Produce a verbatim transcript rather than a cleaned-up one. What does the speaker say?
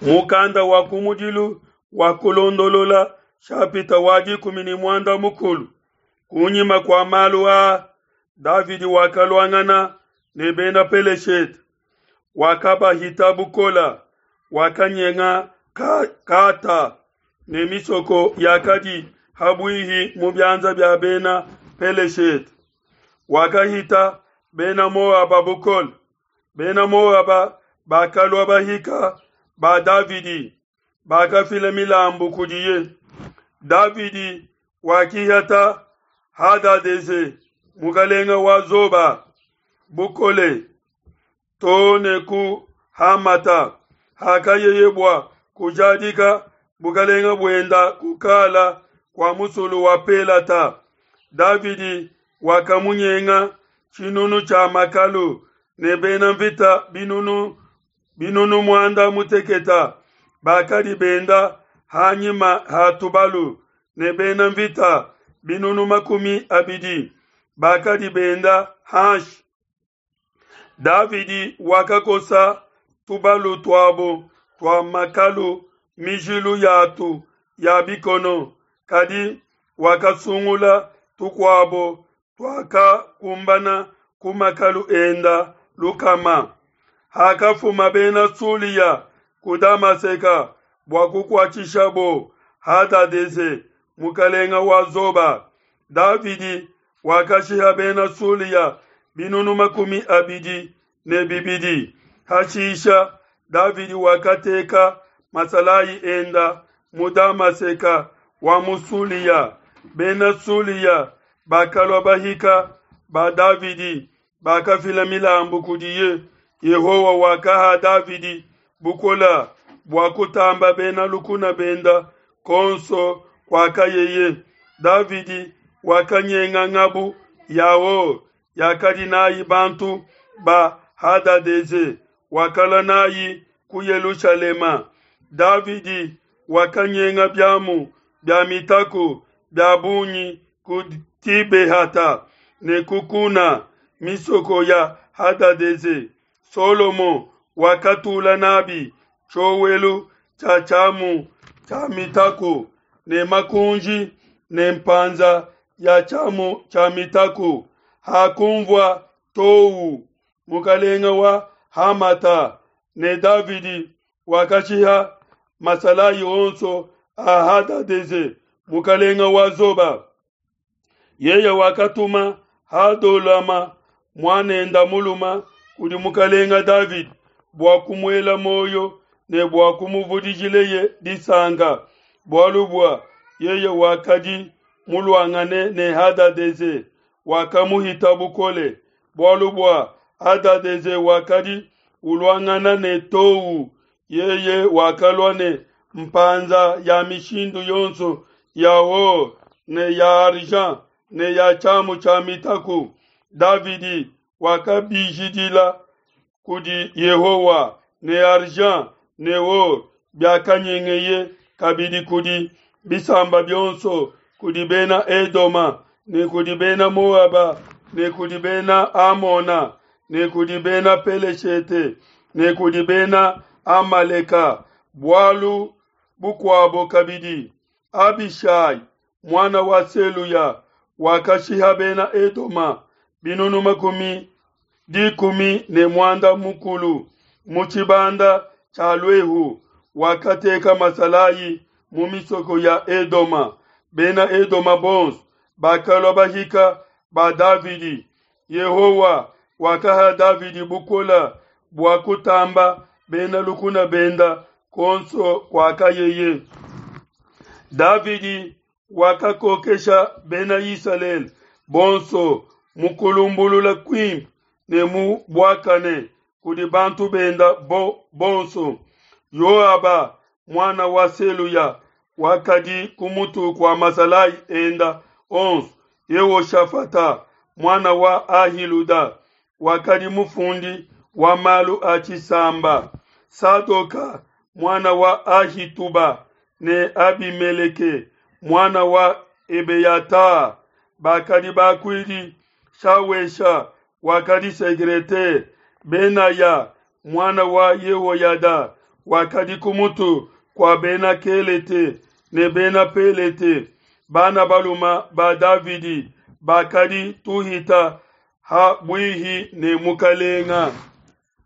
Mukanda wa kumudilu wa Kulondolola shapita wa dikumi ne muanda mukulu. Kunyima kua malu aa, Davidi wakaluangana ne bena Peleshete, wakabahita bukole, wakanyenga Gata ne misoko yakadi ha buihi mu bianza bia bena Peleshete. Wakahita bena Moaba bukole, bena Moaba bakalua bahika ba Davidi, bakafila milambu kudiye. Davidi wakihata Hadadeze, mukelenge wa Zoba, bukole to ne ku Hamata, hakayeye bua kujadika bukelenge buenda kukala kua musulu wa Pelata. Davidi wakamunyenga tshinunu tshia makalu ne bena nvita binunu binunu muanda mutekete bakadi benda ha nyima ha tubalu, ne bena nvita binunu makumi abidi bakadi benda hanshi. Davidi wakakosa tubalu tuabo tua makalu mijilu yatu ya bikono, kadi wakasungula tukuabo tuakakumbana ku makalu enda lukama. Hakafuma Bena Sulia ku Damaseke bua kukuatshishabo Hadadeze, mukelenge wa Zoba, Davidi wakashiha Bena Sulia binunu makumi abidi ne bibidi. Hashisha Davidi wakateka masalayi enda mu Damaseke wa mu Sulia. Bena Sulia bakalua bahika ba Davidi, bakafila milambu kudiye. Yehowa wakaha Davidi bukole bua kutamba bena lukuna benda kuonso kuakayeye. Davidi wakanyenga ngabu ya or yakadi nayi bantu ba Hadadeze, wakalua nayi ku Yelushalema. Davidi wakanyenga biamu bia mitaku bia bungi ku Tibehata ne ku Kuna, misoko ya Hadadeze. Solomo wakatula nabi tshiowelu tshia tshiamu tshia mitaku ne makunji ne mpanza ya tshiamu tshia mitaku. Hakunvua Tou, mukelenge wa Hamata, ne Davidi wakashiha masalayi onso a Hadadeze, mukelenge wa Zoba. Yeye wakatuma Hadolama muan'ende mulume kudi mukelenge Davidi bua kumuela muoyo ne bua kumuvudijileye disanka, bualu bua yeye wakadi muluangane ne Hadadeze, wakamuhita bukole. Bualu bua Hadadeze wakadi uluangana ne Tou, yeye wakalua ne mpanza ya mishindu yonso ya or ne ya argent ne ya tshiamu tshia mitaku. Davidi wakabijidila kudi Yehowa ne argent ne or biakanyengeye kabidi kudi bisamba bionso, kudi bena Edoma ne kudi bena Moaba ne kudi bena Amona ne kudi bena Peleshete ne kudi bena Amaleka. Bualu bukuabo kabidi, Abishai muana wa Seluya wakashiha bena Edoma binunu makumi dikumi ne muanda mukulu mu tshibanda tshia luehu, wakateka masalayi mu misoko ya Edoma. Bena Edoma bonso bakalua bahika ba Davidi. Yehowa wakaha Davidi bukole bua kutamba bena lukuna benda kuonso kuakayeye. Davidi wakakokesha bena Isalele bonso mu kulumbulula kuimpe ne mu buakane kudi bantu benda bo, bonso. Yoaba muana wa Seluya wakadi ku mutu kua masalayi enda onso. Yehoshafata muana wa Ahiluda wakadi mufundi wa malu a tshisamba. Sadoka muana wa Ahituba ne Abimeleke muana wa Ebeyata bakadi bakuidi. Shawesha wakadi secretaire. Benaya muana wa Yehoyada wakadi ku mutu kua Bena Kelete ne Bena Pelete, bana balume ba Davidi bakadi tuhita ha buihi ne mukelenge.